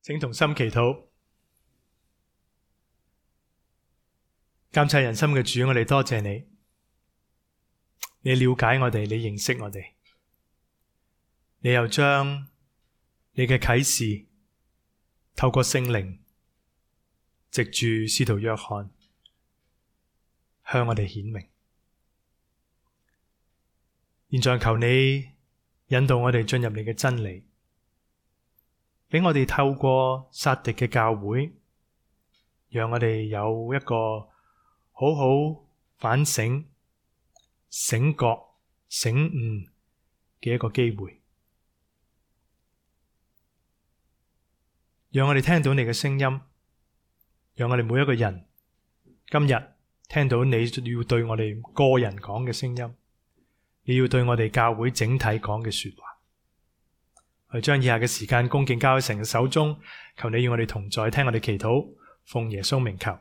請同心祈禱。監察人心嘅主，我哋多謝你，你了解我哋，你認識我哋，你又將你嘅啟示透過聖靈藉住使徒約翰向我哋顯明。現在求你引導我哋進入你嘅真理，俾我哋透過撒狄嘅教會，讓我哋有一個好好反省、醒覺、醒悟嘅一個機會，讓我哋聽到你嘅聲音，讓我哋每一個人今日聽到你要對我哋個人講嘅聲音，你要對我哋教會整體講嘅說話。我將以下嘅時間恭敬交喺神嘅手中，求你與我哋同在，聽我哋祈禱，奉耶穌名求，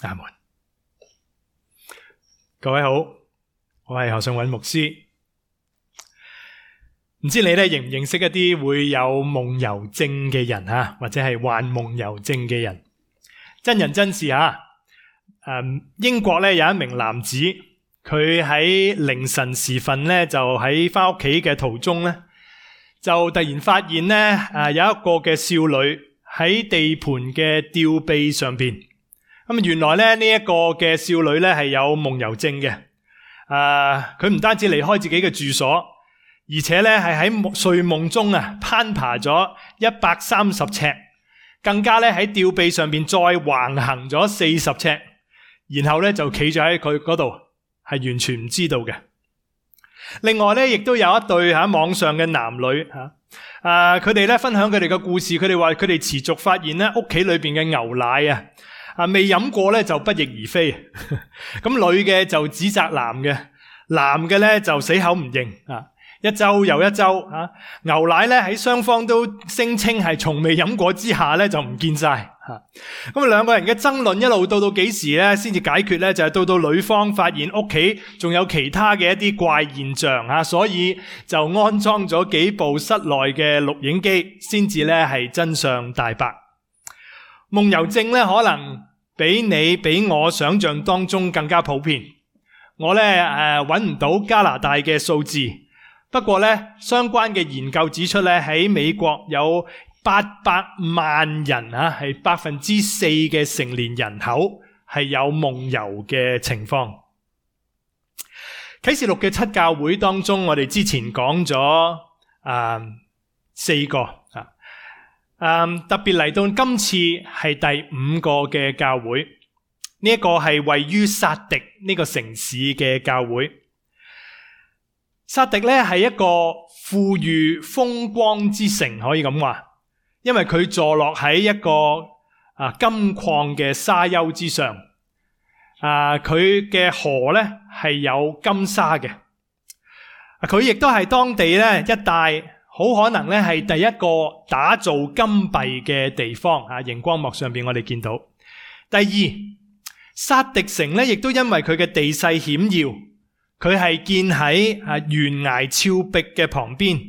阿門。各位好，我係何信允牧師。唔知你咧認唔認識一啲會有夢遊症嘅人啊，或者係患夢遊症嘅人？真人真事啊！英國咧有一名男子，佢喺凌晨時分咧就喺翻屋企嘅途中咧，就突然發現咧有一個嘅少女喺地盤嘅吊臂上邊。咁原來咧呢一個嘅少女咧係有夢遊症嘅。佢唔單止離開自己嘅住所，而且咧係喺睡夢中攀爬咗130尺，更加咧喺吊臂上邊再橫行咗40尺，然後咧就企咗喺佢嗰度，係完全唔知道嘅。另外咧亦都有一對喺網上嘅男女佢哋咧分享佢哋嘅故事，佢哋話佢哋持續發現咧屋企裏邊嘅牛奶未飲過咧就不翼而飛。咁女嘅就指責男嘅，男嘅咧就死口唔認。一周又一周牛奶咧喺雙方都聲稱係從未飲過之下咧就唔見晒。咁兩個人嘅爭論一路到幾時咧先至解決咧，就係到女方發現屋企仲有其他嘅一啲怪現象所以就安裝咗幾部室內嘅錄影機，先至咧係真相大白。夢遊症咧可能比我想象當中更加普遍。我咧揾唔到加拿大嘅數字，不過咧相關嘅研究指出咧喺美國有800萬人係4%嘅成年人口係有夢遊嘅情況。啟示錄嘅7教會當中，我哋之前講咗4個。特別嚟到今次係第5個嘅教會，呢一個係位於撒狄呢個城市嘅教會。撒狄咧係一個富裕風光之城，可以咁話，因為佢坐落喺一個金礦嘅沙丘之上。佢嘅河咧係有金沙嘅。佢亦都係當地咧一帶好可能咧係第一個打造金幣嘅地方。熒光幕上邊我哋見到。第二，撒狄城咧亦都因為佢嘅地勢險要，佢係建喺懸崖峭壁嘅旁邊，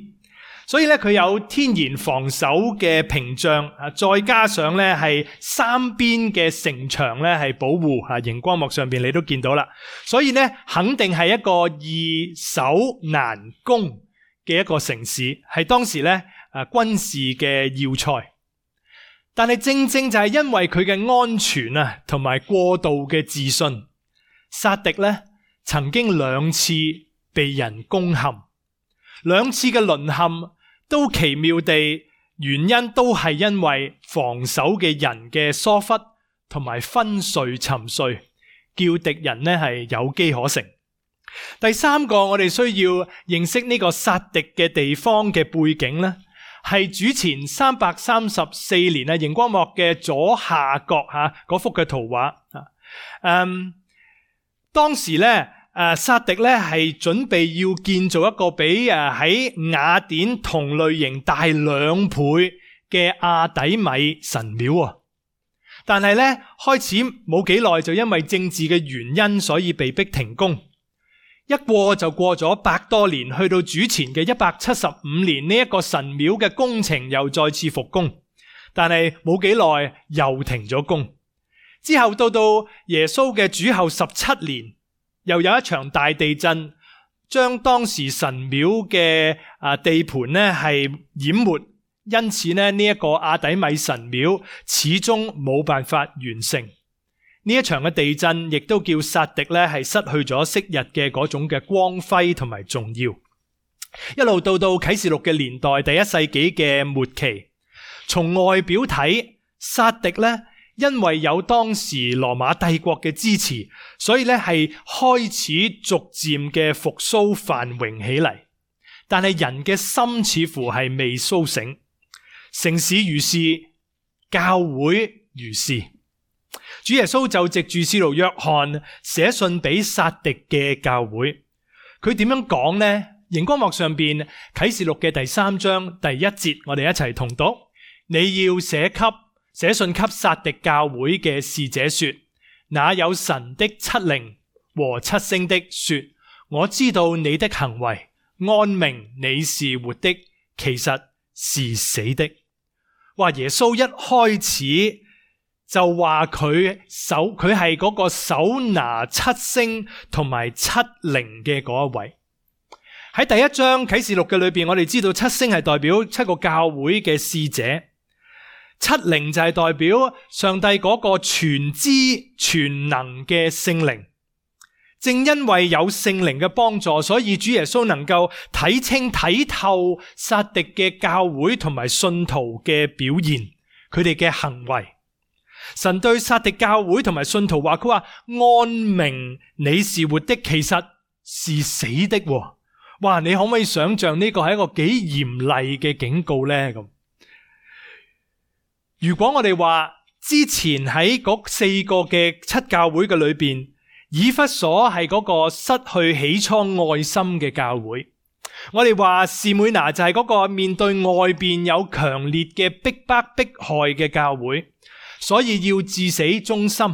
所以咧佢有天然防守嘅屏障，再加上咧係3邊嘅城牆咧係保護。熒光幕上邊你都見到啦，所以咧肯定係一個易守難攻嘅一個城市，係當時咧軍事嘅要塞。但係正正就係因為佢嘅安全同埋過度嘅自信，撒狄咧曾經2次被人攻陷，2次嘅淪陷都奇妙地原因都係因為防守嘅人嘅疏忽同埋昏睡沉睡，叫敵人咧係有機可乘。第3個我哋需要認識呢個撒狄嘅地方嘅背景呢，係主前334年熒光幕嘅左下角嗰幅嘅圖畫。當時咧撒狄咧係準備要建造一個比喺雅典同類型大2倍嘅阿底米神廟。但係咧開始冇幾耐就因為政治嘅原因，所以被迫停工。一過就過咗100多年，去到主前嘅175年，呢一個神廟嘅工程又再次復工。但係冇幾耐又停咗工。之後到耶穌嘅主後17年，又有一場大地震，將當時神廟嘅地盤呢係淹沒，因此呢一個亞底米神廟始終冇辦法完成。呢一場嘅地震亦都叫撒狄呢係失去咗昔日嘅嗰種嘅光輝同埋重要。一路到啟示錄嘅年代，第1世紀嘅末期，從外表睇，撒狄呢因為有當時羅馬帝國嘅支持，所以咧係開始逐漸嘅復甦繁榮起嚟。但係人嘅心似乎係未甦醒，城市如是，教會如是。主耶穌就藉住使徒約翰寫信俾撒狄嘅教會，佢點樣講呢？熒光幕上邊啟示錄嘅第3章第1節，我哋一齊同讀：你要寫信給撒狄教會嘅使者說，那有神的7靈和7星的說，我知道你的行為，按名你是活的，其實是死的。話耶穌一開始就話佢係嗰個手拿7星同埋7靈嘅嗰一位。喺第1章啟示錄嘅裏邊，我哋知道7星係代表7個教會嘅使者，7靈就係代表上帝嗰個全知全能嘅聖靈。正因為有聖靈嘅幫助，所以主耶穌能夠睇清睇透撒狄嘅教會同埋信徒嘅表現，佢哋嘅行為。神對撒狄教會同埋信徒話，佢話按名你是活的，其實是死的。哇！你可唔可以想象呢個係一個幾嚴厲嘅警告呢？咁如果我哋話之前喺嗰4個嘅7教會嘅裏邊，以弗所係嗰個失去起初愛心嘅教會，我哋話士每拿就係嗰個面對外邊有強烈嘅逼迫害嘅教會，所以要至死忠心。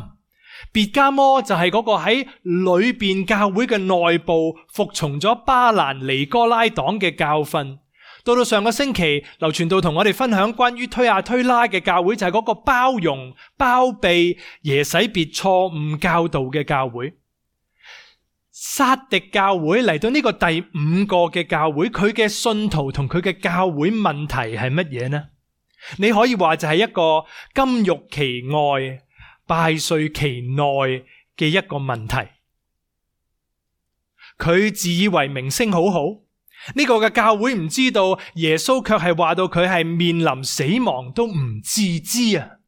別迦摩就係嗰個喺裏邊教會嘅內部服從咗巴蘭尼哥拉黨嘅教訓。到上個星期，劉傳道同我哋分享關於推亞推拉嘅教會，就係嗰個包容包庇耶洗別錯誤教導嘅教會。撒狄教會嚟到呢個第5個嘅教會，佢嘅信徒同佢嘅教會問題係乜嘢呢？你可以話就係一個金玉其外敗絮其內嘅一個問題。佢自以為名聲好好，呢個嘅教會唔知道耶穌卻係話到佢係面臨死亡都唔自知啊，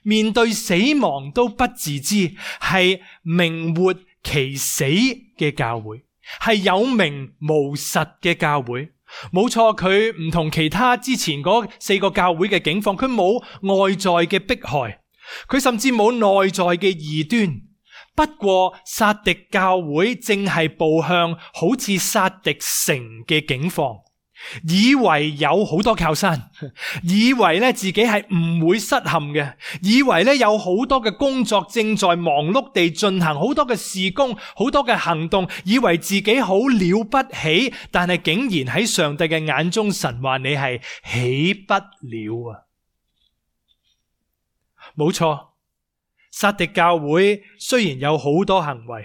面對死亡都不自知，係名活其死嘅教會，係有名無實嘅教會。冇錯，佢唔同其他之前嗰4個教會嘅境況，佢冇外在嘅迫害，佢甚至冇內在嘅異端。不過撒狄教會正係步向好似撒狄城嘅境況，以為有好多靠山，以為咧自己係唔會失陷嘅，以為咧有好多嘅工作正在忙碌地進行，好多嘅事工，好多嘅行動，以為自己好了不起，但係竟然喺上帝嘅眼中，神話你係起不了啊！冇錯。撒狄教會雖然有好多行為，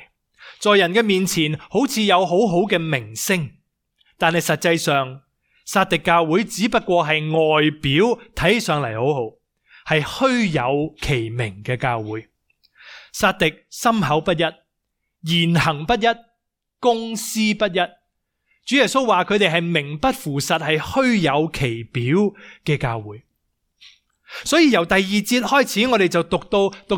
在人嘅面前好似有好好嘅名聲，但係實際上撒狄教會只不過係外表睇上嚟好好，係虛有其名嘅教會。撒狄心口不一，言行不一，公私不一。主耶穌話佢哋係名不符實，係虛有其表嘅教會。所以由第2節開始，我哋就讀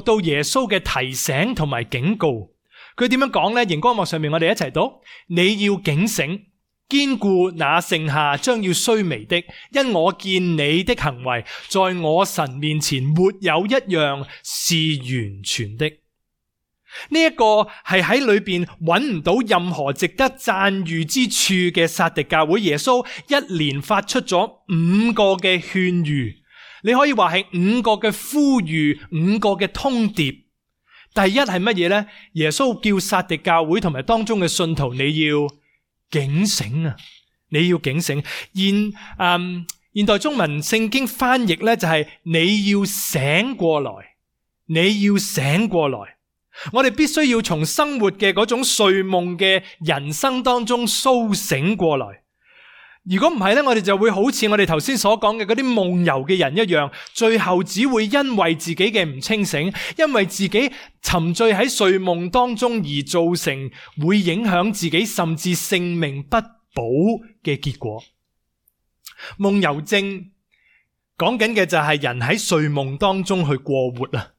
到耶穌嘅提醒同埋警告。佢點樣講呢？熒光幕上面我哋一齊讀：你要警醒，堅固那剩下將要衰微的，因我見你的行為，在我神面前沒有一樣是完全的。呢一個係喺裏邊揾唔到任何值得讚譽之處嘅撒狄教會。耶穌一連發出咗5個嘅勸喻。你可以話係5個嘅呼籲，5個嘅通牒。第一係乜嘢呢？耶穌叫撒狄教會同埋當中嘅信徒，你要警醒啊！你要警醒。現代中文聖經翻譯呢，就係你要醒過來，你要醒過來。我哋必須要從生活嘅嗰種睡夢嘅人生當中甦醒過來。如果唔係呢，我哋就會好似我哋頭先所講嘅嗰啲夢遊嘅人一樣，最後只會因為自己嘅唔清醒，因為自己沉醉喺睡夢當中而造成會影響自己甚至性命不保嘅結果。夢遊症講緊嘅就係人喺睡夢當中去過活啊，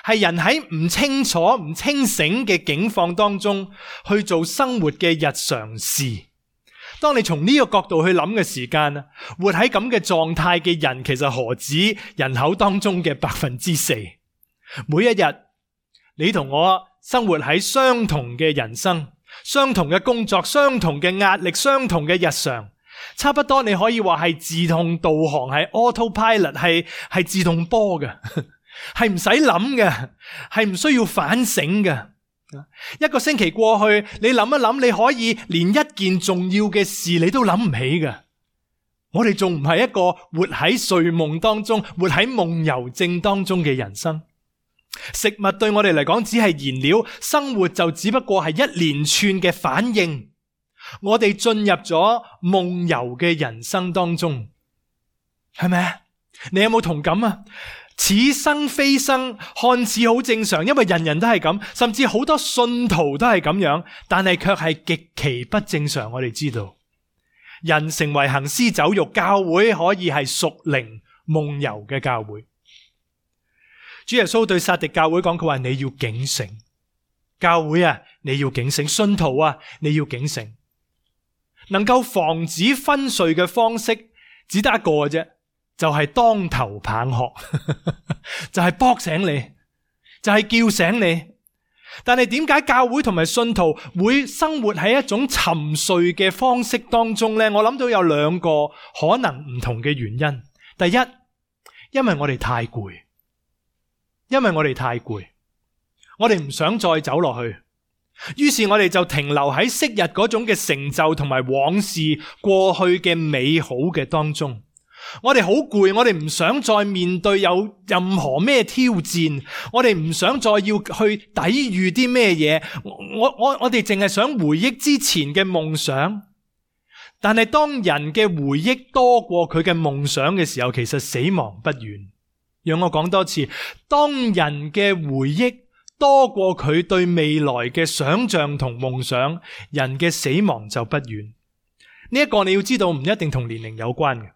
係人喺唔清楚、唔清醒嘅境況當中去做生活嘅日常事。當你從呢個角度去諗嘅時間，活喺咁嘅狀態嘅人其實何止人口當中嘅4%。每一日你同我生活喺相同嘅人生、相同嘅工作、相同嘅壓力、相同嘅日常，差不多你可以話係自動導航，係 autopilot， 係自動波嘅，係唔使諗嘅，係唔需要反省嘅。一個星期過去，你諗一諗，你可以連一件重要嘅事你都諗唔起嘅。我哋仲唔係一個活喺睡夢當中、活喺夢遊症當中嘅人生？食物對我哋嚟講只係燃料，生活就只不過係一連串嘅反應。我哋進入咗夢遊嘅人生當中，係咪啊？你有冇同感啊？似生非生，看似好正常，因為人人都係咁，甚至好多信徒都係咁樣，但係卻係極其不正常。我哋知道，人成為行屍走肉，教會可以係屬靈夢遊嘅教會。主耶穌對撒狄教會講，佢話你要警醒，教會啊，你要警醒，信徒啊，你要警醒。能夠防止昏睡嘅方式只得一個嘅啫，就係當頭棒喝，就係搏醒你，就係叫醒你。但係點解教會同埋信徒會生活喺一種沉睡嘅方式當中呢？我諗到有兩個可能唔同嘅原因。第一，因為我哋太攰，我哋唔想再走落去，於是我哋就停留喺昔日嗰種嘅成就同埋往事過去嘅美好嘅當中。我哋好攰，我哋唔想再面對有任何咩挑戰，我哋唔想再要去抵禦啲咩嘢，我哋淨係想回憶之前嘅夢想。但係當人嘅回憶多過佢嘅夢想嘅時候，其實死亡不遠。讓我講多次，當人嘅回憶多過佢對未來嘅想象同夢想，人嘅死亡就不遠。呢一個你要知道，唔一定同年齡有關嘅。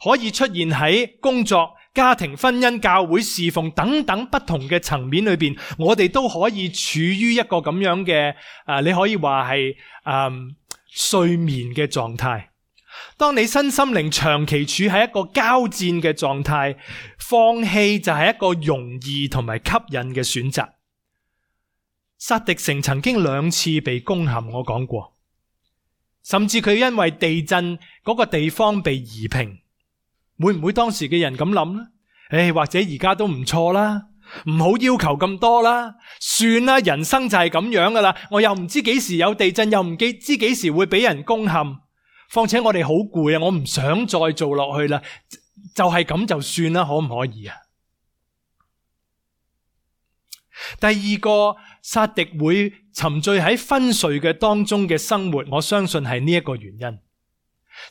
可以出現喺工作、家庭、婚姻、教會、侍奉等等不同嘅層面裏邊，我哋都可以處於一個咁樣嘅你可以話係睡眠嘅狀態。當你身心靈長期處喺一個交戰嘅狀態，放棄就係一個容易同埋吸引嘅選擇。撒狄城曾經2次被攻陷，我講過，甚至佢因為地震嗰個地方被夷平。會唔會當時嘅人咁諗呢？或者而家都唔錯啦，唔好要求咁多啦，算啦，人生就係咁樣噶啦。我又唔知幾時有地震，又唔知幾時會俾人攻陷。況且我哋好攰啊，我唔想再做落去啦，就係咁就算啦，可唔可以啊？第二個，撒狄會沉醉喺昏睡嘅當中嘅生活，我相信係呢一個原因。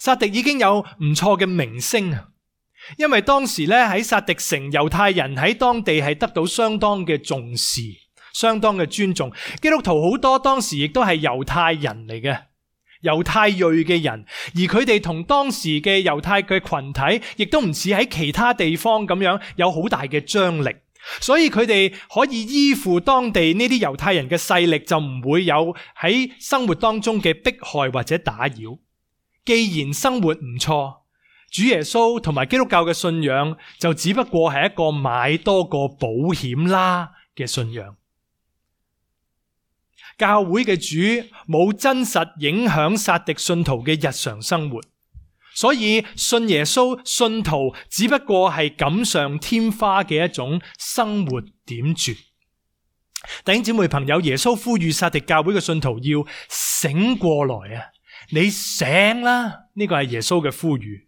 撒狄已經有唔錯嘅名聲啊，因為當時咧喺撒狄城，猶太人喺當地係得到相當嘅重視，相當嘅尊重。基督徒好多當時亦都係猶太人嚟嘅，猶太裔嘅人，而佢哋同當時嘅猶太嘅群體，亦都唔似喺其他地方咁樣有好大嘅張力，所以佢哋可以依附當地呢啲猶太人嘅勢力，就唔會有喺生活當中嘅迫害或者打擾。既然生活唔錯，主耶穌同埋基督教嘅信仰就只不過係一個買多個保險啦嘅信仰。教會嘅主冇真實影響撒狄信徒嘅日常生活，所以信耶穌信徒只不過係錦上添花嘅一種生活點綴。弟兄姊妹朋友，耶穌呼籲撒狄教會嘅信徒要醒過來啊！你醒啦，呢個係耶穌嘅呼籲。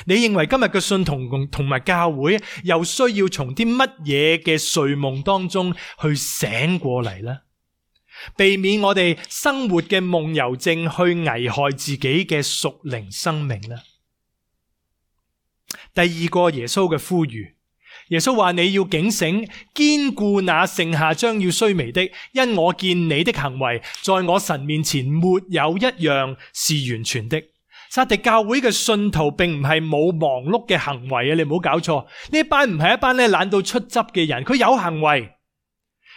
你認為今日嘅信徒同埋教會又需要從啲乜嘢嘅睡夢當中去醒過嚟呢？避免我哋生活嘅夢遊症去危害自己嘅屬靈生命呢？第二個耶穌嘅呼籲，耶穌話你要警醒，堅固那剩下將要衰微的，因我見你的行為在我神面前沒有一樣是完全的。撒狄教會嘅信徒並唔係冇忙碌嘅行為啊！你唔好搞錯，呢班唔係一班懶到出汁嘅人，佢有行為，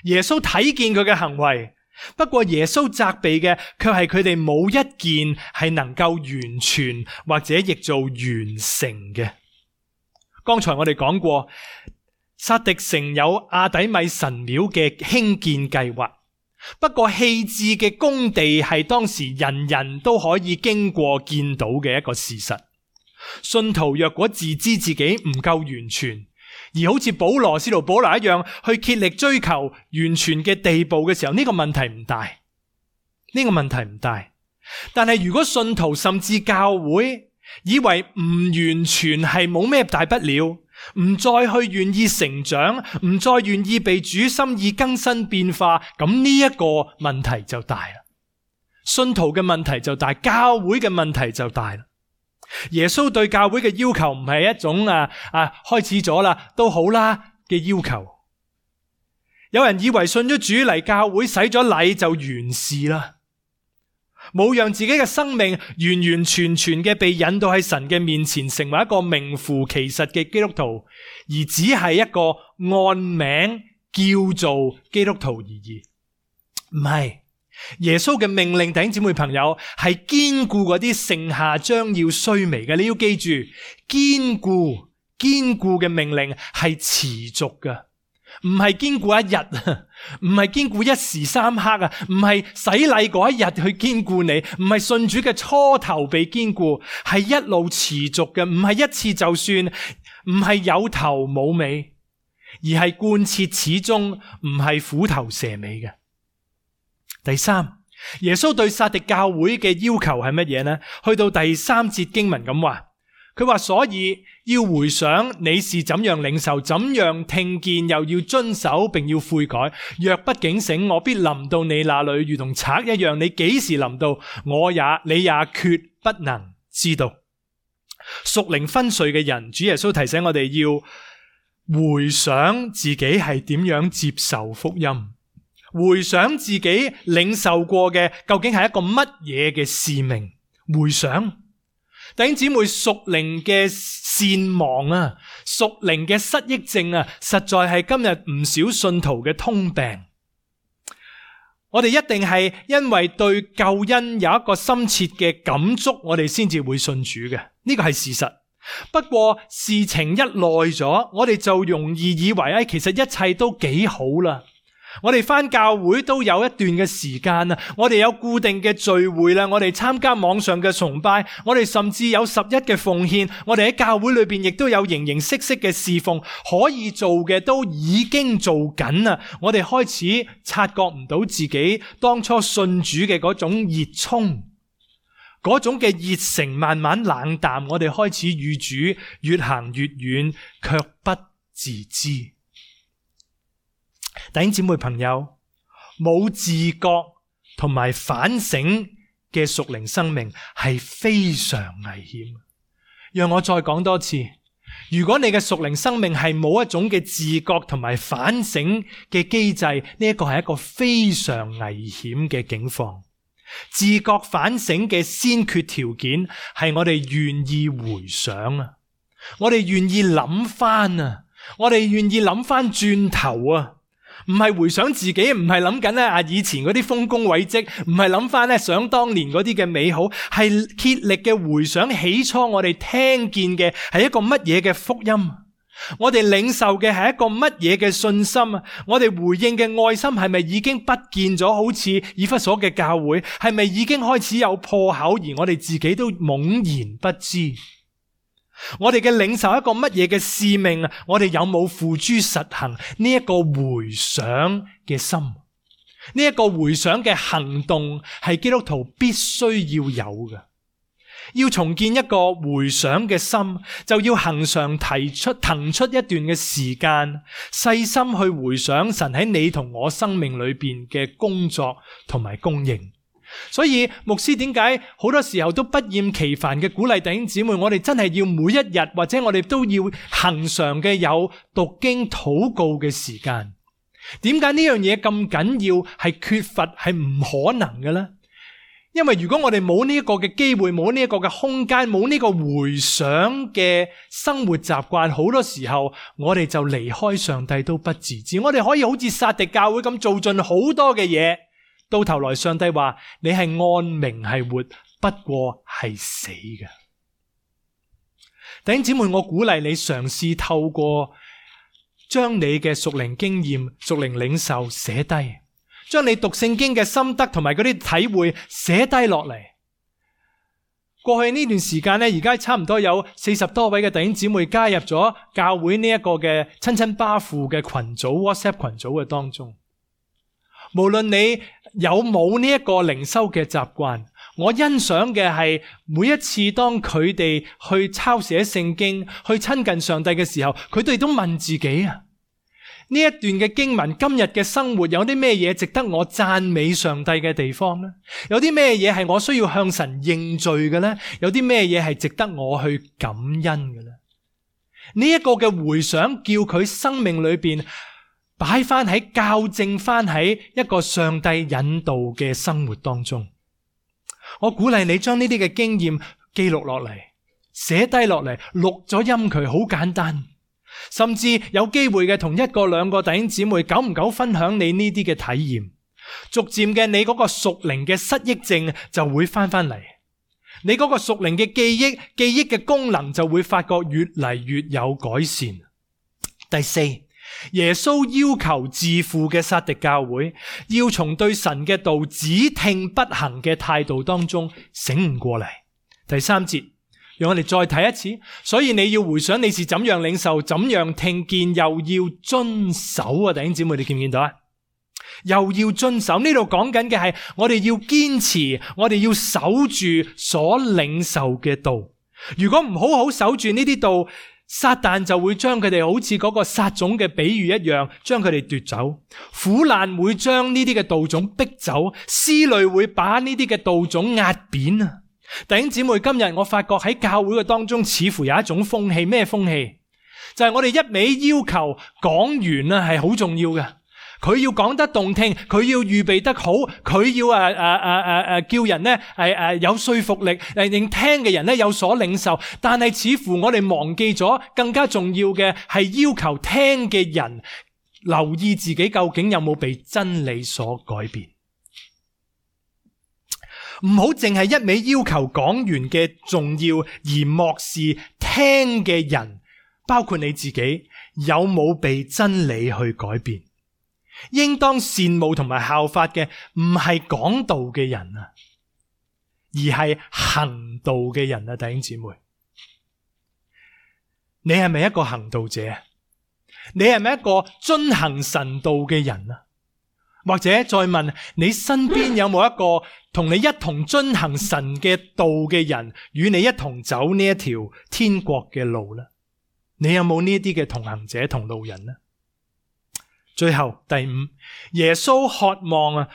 耶穌睇見佢嘅行為。不過耶穌責備嘅卻係佢哋冇一件係能夠完全或者譯做完成嘅。剛才我哋講過，撒狄城有亞底米神廟嘅興建計劃，不過棄置嘅工地係當時人人都可以經過見到嘅一個事實。信徒若果自知自己唔夠完全，而好似使徒保羅一樣去竭力追求完全嘅地步嘅時候，呢個問題唔大，呢個問題唔大。但係如果信徒甚至教會以為唔完全係冇咩大不了，唔再去願意成長，唔再願意被主心意更新變化，咁呢一個問題就大啦。信徒嘅問題就大，教會嘅問題就大啦。耶穌對教會嘅要求唔係一種開始咗啦都好啦嘅要求。有人以為信咗主嚟教會洗咗禮就完事啦，冇讓自己嘅生命完完全全嘅被引導喺神嘅面前，成為一個名副其實嘅基督徒，而只係一個按名叫做基督徒而已。唔係，耶穌嘅命令，弟兄姊妹朋友，係堅固嗰啲剩下將要衰微嘅。你要記住，堅固嘅命令係持續嘅，唔係堅固一日，唔係堅固一時三刻啊，唔係洗禮嗰一日去堅固你，唔係信主嘅初頭被堅固，係一路持續嘅，唔係一次就算，唔係有頭冇尾，而係貫徹始終，唔係虎頭蛇尾嘅。第三，耶穌對撒狄教會嘅要求係乜嘢呢？去到第3節經文咁話，佢話所以要回想你是怎樣領受，怎樣聽見，又要遵守，並要悔改。若不警醒，我必臨到你那裏，如同賊一樣。你幾時臨到，你也決不能知道。屬靈昏睡嘅人，主耶穌提醒我哋要回想自己係點樣接受福音，回想自己領受過嘅究竟係一個乜嘢嘅使命。回想弟兄姊妹，屬靈嘅善忘啊，屬靈嘅失憶症啊，實在係今日唔少信徒嘅通病。我哋一定係因為對救恩有一個深切嘅感觸，我哋先至會信主嘅，呢個係事實。不過事情一耐咗，我哋就容易以為其實一切都幾好啦。我哋返教會都有一段嘅時間啦，我哋有固定嘅聚會啦，我哋參加網上嘅崇拜，我哋甚至有11嘅奉獻，我哋喺教會裏邊亦都有形形色色嘅侍奉，可以做嘅都已經做緊啦。我哋開始察覺唔到自己當初信主嘅嗰種熱衷，嗰種嘅熱誠慢慢冷淡，我哋開始與主越行越遠，卻不自知。弟兄姊妹朋友，冇自覺同埋反省嘅屬靈生命係非常危險。讓我再講多次，如果你嘅屬靈生命係冇一種嘅自覺同埋反省嘅機制，呢一個係一個非常危險嘅境況。自覺反省嘅先決條件係我哋願意回想啊，我哋願意諗翻啊，我哋願意諗翻轉頭啊。唔係回想自己，唔係諗緊以前嗰啲豐功偉績，唔係諗翻想當年嗰啲嘅美好，係竭力嘅回想起初我哋聽見嘅係一個乜嘢嘅福音，我哋領受嘅係一個乜嘢嘅信心，我哋回應嘅愛心係咪已經不見咗？好似以弗所嘅教會，係咪已經開始有破口，而我哋自己都懵然不知？我哋嘅領受一個乜嘢嘅使命啊？我哋有冇付諸實行呢一個回想嘅心？呢一個回想嘅行動係基督徒必須要有嘅。要重建一個回想嘅心，就要恆常騰出一段嘅時間，細心去回想神喺你同我生命裏邊嘅工作同埋供應。所以牧師點解好多時候都不厭其煩嘅鼓勵弟兄姊妹，我哋真係要每一日或者我哋都要恆常嘅有讀經禱告嘅時間。點解呢樣嘢咁緊要，係缺乏係唔可能嘅呢？因為如果我哋冇呢一個嘅機會，冇呢一個嘅空間，冇呢個回想嘅生活習慣，好多時候我哋就離開上帝都不自知。我哋可以好似撒狄教會咁做盡好多嘅嘢，到頭來上帝話你係按名係活，不過係死嘅。弟兄姊妹，我鼓勵你嘗試透過將你嘅屬靈經驗、屬靈領受寫低，將你讀聖經嘅心得同埋嗰啲體會寫低落嚟。過去呢段時間咧，而家差唔多有40多位嘅弟兄姊妹加入咗教會呢一個嘅親親巴父嘅群組 WhatsApp 群組嘅當中。無論你有冇呢一個靈修嘅習慣，我欣賞嘅係每一次當佢哋去抄寫聖經、去親近上帝嘅時候，佢哋都問自己啊，呢一段嘅經文，今日嘅生活有啲咩嘢值得我讚美上帝嘅地方呢？有啲咩嘢係我需要向神認罪嘅呢？有啲咩嘢係值得我去感恩嘅呢？呢一個嘅回想，叫佢生命裏邊擺翻喺校正翻喺一個上帝引導嘅生活當中。我鼓勵你將呢啲嘅經驗記錄落嚟，寫低落嚟，錄咗音佢，好簡單。甚至有機會嘅同1個2個弟兄姊妹久唔久分享你呢啲嘅體驗，逐漸嘅你嗰個屬靈嘅失憶症就會翻嚟，你嗰個屬靈嘅記憶嘅功能就會發覺越嚟越有改善。第4，耶穌要求自負嘅撒狄教會要從對神嘅道只聽不行嘅態度當中醒悟過嚟。第3節，讓我哋再睇一次。所以你要回想你是怎樣領受，怎樣聽見，又要遵守啊！弟兄姊妹，你見唔見到啊？又要遵守，呢度講緊嘅係我哋要堅持，我哋要守住所領受嘅道。如果唔好好守住呢啲道，撒旦就會將佢哋好似嗰個撒種嘅比喻一樣，將佢哋奪走。苦難會將呢啲嘅道種逼走，思慮會把呢啲嘅道種壓扁啊！弟兄姊妹，今日我發覺喺教會嘅當中似乎有一種風氣，咩風氣？就係我哋一味要求講員啊係好重要嘅，佢要講得動聽，佢要預備得好，佢要叫人咧有說服力，令聽嘅人咧有所領受。但係似乎我哋忘記咗更加重要嘅係要求聽嘅人留意自己究竟有冇被真理所改變。唔好淨係一味要求講員嘅重要，而漠視聽嘅人，包括你自己，有冇被真理去改變。應當羨慕同埋效法嘅唔係講道嘅人啊，而係行道嘅人啊！弟兄姊妹，你係咪一個行道者？你係咪一個遵行神道嘅人啊？或者再問你身邊有冇一個同你一同遵行神嘅道嘅人，與你一同走呢一條天國嘅路呢？你有冇呢啲嘅同行者同路人呢？最後第5，耶穌渴望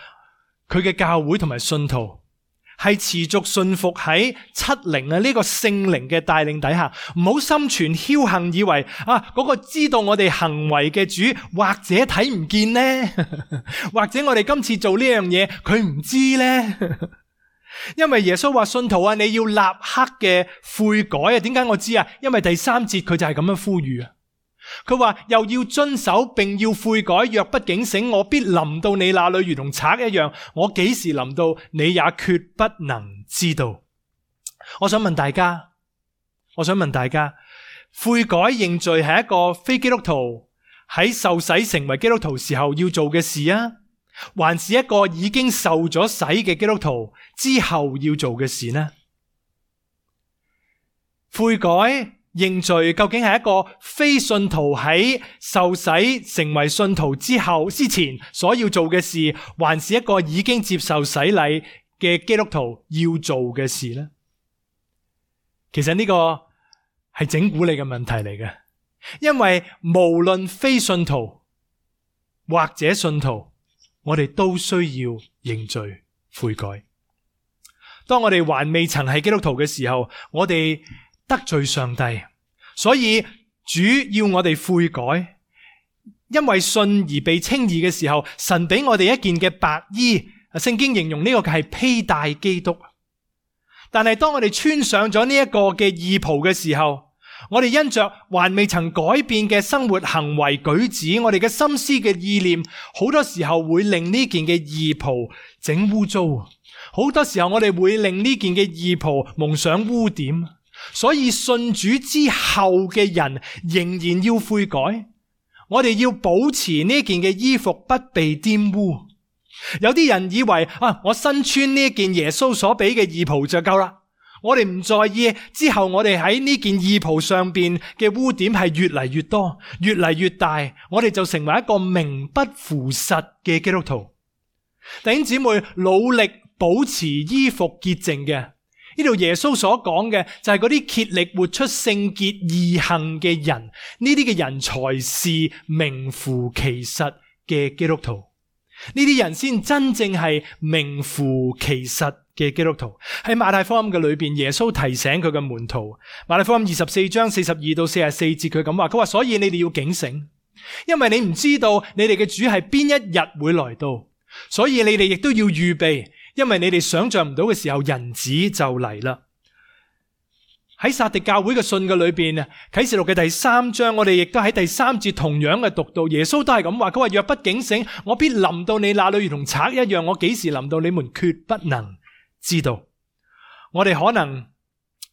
佢嘅教會同埋信徒係持續信服喺七靈呢個聖靈嘅帶領底下，唔好心存僥倖，以為嗰個知道我哋行為嘅主或者睇唔見呢，或者我哋今次做呢樣嘢佢唔知呢。因為耶穌話信徒啊，你要立刻嘅悔改啊。點解我知啊？因為第3節佢就係咁樣呼籲啊。佢話又要遵守並要悔改，若不警醒，我必臨到你那裏如同賊一樣，我幾時臨到你也決不能知道。我想問大家，悔改認罪係一個非基督徒喺受洗成為基督徒時候要做嘅事啊，還是一個已經受咗洗嘅基督徒之後要做嘅事呢？悔改認罪究竟係一個非信徒喺受洗成為信徒之前所要做嘅事，還是一個已經接受洗禮嘅基督徒要做嘅事呢？其實呢個係整蠱你嘅問題嚟嘅，因為無論非信徒或者信徒，我哋都需要認罪悔改。當我哋還未曾係基督徒嘅時候，我哋得罪上帝，所以主要我哋悔改。因為信而被稱義嘅時候，神俾我哋一件嘅白衣，聖經形容呢個係披戴基督。但係當我哋穿上咗呢一個嘅義袍嘅時候，我哋因着還未曾改變嘅生活行為舉止，我哋嘅心思嘅意念，好多時候會令呢件嘅義袍整污糟。好多時候我哋會令呢件嘅義袍蒙上污點。所以信主之後嘅人仍然要悔改。我哋要保持呢件嘅衣服不被玷污。有啲人以為我身穿呢件耶穌所俾嘅義袍就夠啦，我哋唔在意之後我哋喺呢件義袍上邊嘅污點係越嚟越多，越嚟越大，我哋就成為一個名不符實嘅基督徒。弟兄姊妹，努力保持衣服潔淨嘅，呢度耶穌所講嘅就係嗰啲竭力活出聖潔義行嘅人，呢啲嘅人才是名副其實嘅基督徒。呢啲人先真正係名副其實嘅基督徒。喺馬太福音嘅裏邊，耶穌提醒佢嘅門徒，馬太福音24章42到44節，佢咁話，佢話所以你哋要警醒，因為你唔知道你哋嘅主係邊一日會來到，所以你哋亦都要預備，因為你哋想象唔到嘅時候，人子就嚟啦。喺撒狄教會嘅信嘅裏邊，啟示錄嘅第3章，我哋亦都喺第3節同樣嘅讀到，耶穌都係咁話，佢話若不警醒，我必臨到你那裏如同賊一樣，我幾時臨到你們決不能知道。我哋可能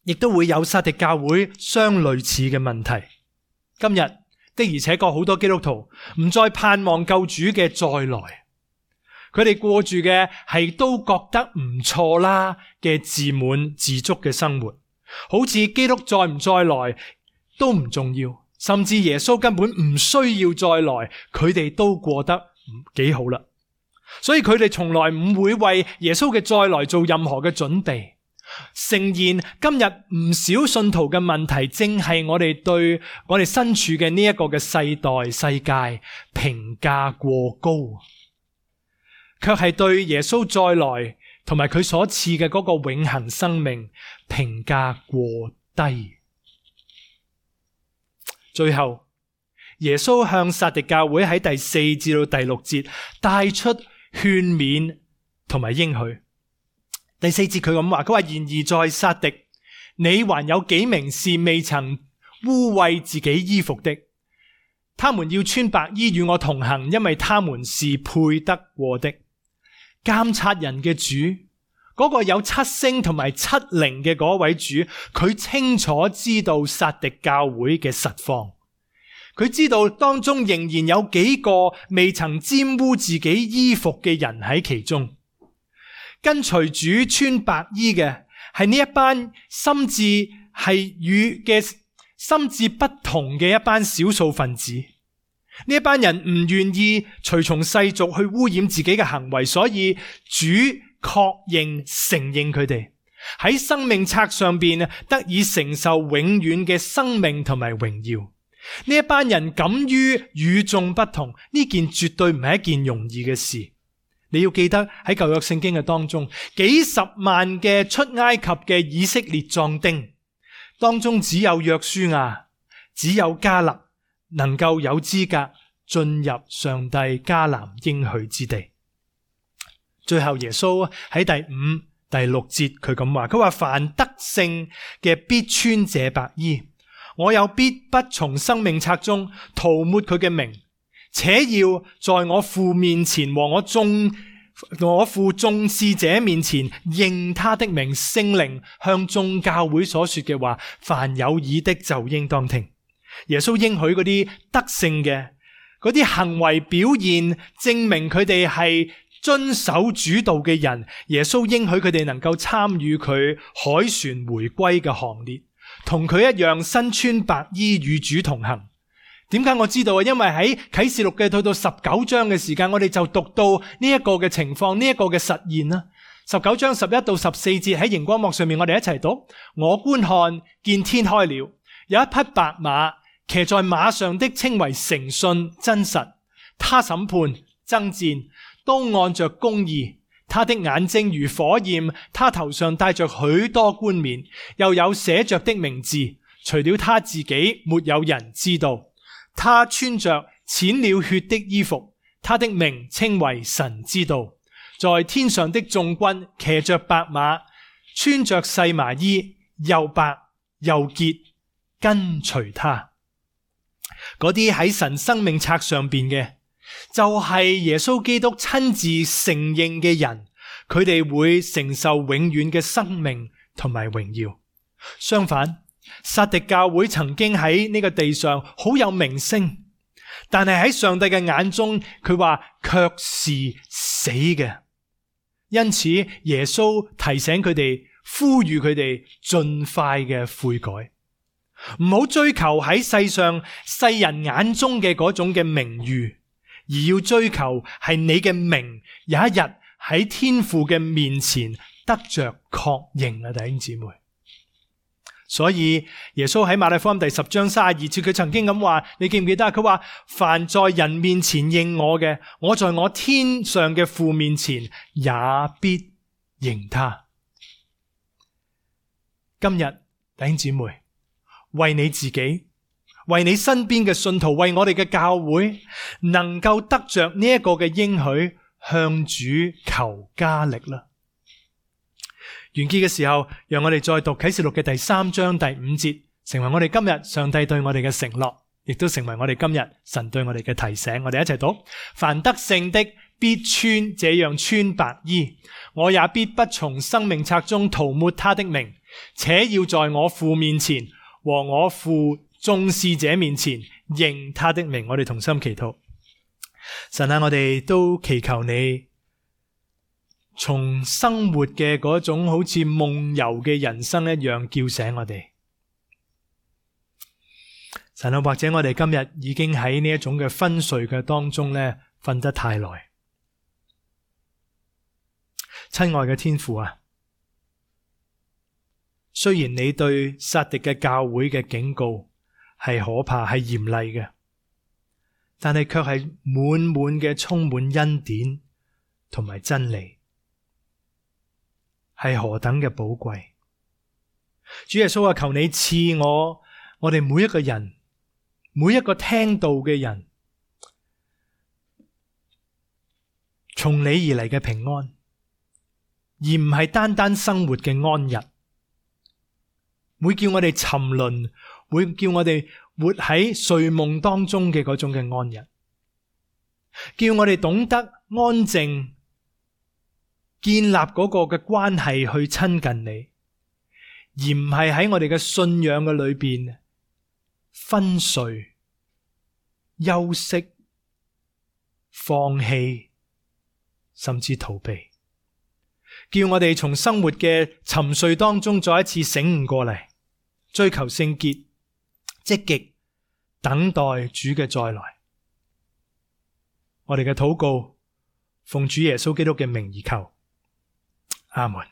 亦都會有撒狄教會相類似嘅問題。今日的而且確好多基督徒唔再盼望救主嘅再來，佢哋過住嘅係都覺得唔錯啦嘅自滿自足嘅生活，好似基督再唔再來都唔重要，甚至耶穌根本唔需要再來，佢哋都過得幾好啦。所以佢哋從來唔會為耶穌嘅再來做任何嘅準備。誠然，今日唔少信徒嘅問題，正係我哋對我哋身處嘅呢一個嘅世代世界評價過高，卻係對耶穌再來同埋佢所賜嘅嗰個永恆生命評價過低。最後，耶穌向撒狄教會喺第4至到第6節帶出勸勉同埋應許。第4節佢咁話，佢話然而在撒狄，你還有幾名是未曾污穢自己衣服的，他們要穿白衣與我同行，因為他們是配得過的。監察人嘅主，嗰個有7星同埋7靈嘅嗰位主，佢清楚知道撒狄教會嘅實況，佢知道當中仍然有幾個未曾沾污自己衣服嘅人喺其中。跟隨主穿白衣嘅係呢一班心智係與嘅心智不同嘅一班少數分子。呢一班人唔願意隨從世俗去污染自己嘅行為，所以主確認承認佢哋喺生命冊上邊得以承受永遠嘅生命同埋榮耀。呢一班人敢於與眾不同，呢件絕對唔係一件容易嘅事。你要記得喺舊約聖經嘅當中，幾十萬嘅出埃及嘅以色列壯丁當中，只有約書亞，只有迦勒能夠有資格進入上帝迦南應許之地。最後耶穌喺第5、第6節佢咁話，佢話凡得勝嘅必穿這白衣，我又必不從生命冊中塗抹佢嘅名，且要在我父面前和我父眾使者面前認他的名。聖靈向眾教會所說嘅話，凡有耳的就應當聽。耶穌應許嗰啲得勝嘅嗰啲行為表現，證明佢哋係遵守主道嘅人。耶穌應許佢哋能夠參與佢凱旋回歸嘅行列，同佢一樣身穿白衣與主同行。點解我知道啊？因為喺啟示錄嘅到19章嘅時間，我哋就讀到呢一個嘅情況，呢一個嘅實現啦。19章11到14節喺熒光幕上面，我哋一齊讀。我觀看，見天開了，有一匹白馬，騎在馬上的稱為誠信真實。他審判爭戰都按着公義，他的眼睛如火焰，他頭上戴着許多冠冕，又有寫着的名字，除了他自己沒有人知道。他穿着濺了血的衣服，他的名稱為神之道。在天上的眾軍騎着白馬，穿着細麻衣，又白又潔，跟隨他。嗰啲喺神生命冊上邊嘅，就係耶穌基督親自承認嘅人，佢哋會承受永遠嘅生命同埋榮耀。相反，撒狄教會曾經喺呢個地上好有名聲，但係喺上帝嘅眼中，佢話卻是死嘅。因此，耶穌提醒佢哋，呼籲佢哋盡快嘅悔改，唔好追求喺世上世人眼中嘅嗰種嘅名譽，而要追求係你嘅名有一日喺天父嘅面前得着確認啊！弟兄姊妹，所以耶穌喺馬太福音第10章32節，佢曾經咁話，你記唔記得啊？佢話凡在人面前認我嘅，我在我天上嘅父面前也必認他。今日弟兄姊妹，為你自己，為你身邊嘅信徒，為我哋嘅教會能夠得着呢一個嘅應許，向主求加力啦。完結嘅時候，讓我哋再讀啟示錄嘅第3章第5節，成為我哋今日上帝對我哋嘅承諾，亦都成為我哋今日神對我哋嘅提醒。我哋一齊讀：凡得勝的必穿這樣穿白衣，我也必不從生命冊中塗抹他的名，且要在我父面前和我父眾使者面前認他的名。我哋同心祈禱。神啊，我哋都祈求你從生活嘅嗰種好似夢遊嘅人生一樣叫醒我哋。神啊，或者我哋今日已經喺呢一種嘅昏睡嘅當中咧，瞓得太耐。親愛嘅天父啊，雖然你對撒狄嘅教會嘅警告係可怕，係嚴厲嘅，但係卻係滿滿嘅充滿恩典同埋真理，係何等嘅寶貴。主耶穌啊，求你賜我哋每一個人，每一個聽道嘅人，從你而嚟嘅平安，而唔係單單生活嘅安逸，會叫我哋沉淪，會叫我哋活喺睡夢當中嘅嗰種嘅安逸，叫我哋懂得安靜，建立嗰個嘅關係去親近你，而唔係喺我哋嘅信仰嘅裏邊昏睡、休息、放棄，甚至逃避。叫我哋從生活嘅沉睡當中再一次醒悟過嚟，追求聖潔，積極等待主嘅再來。我哋嘅禱告奉主耶穌基督嘅名而求，阿門。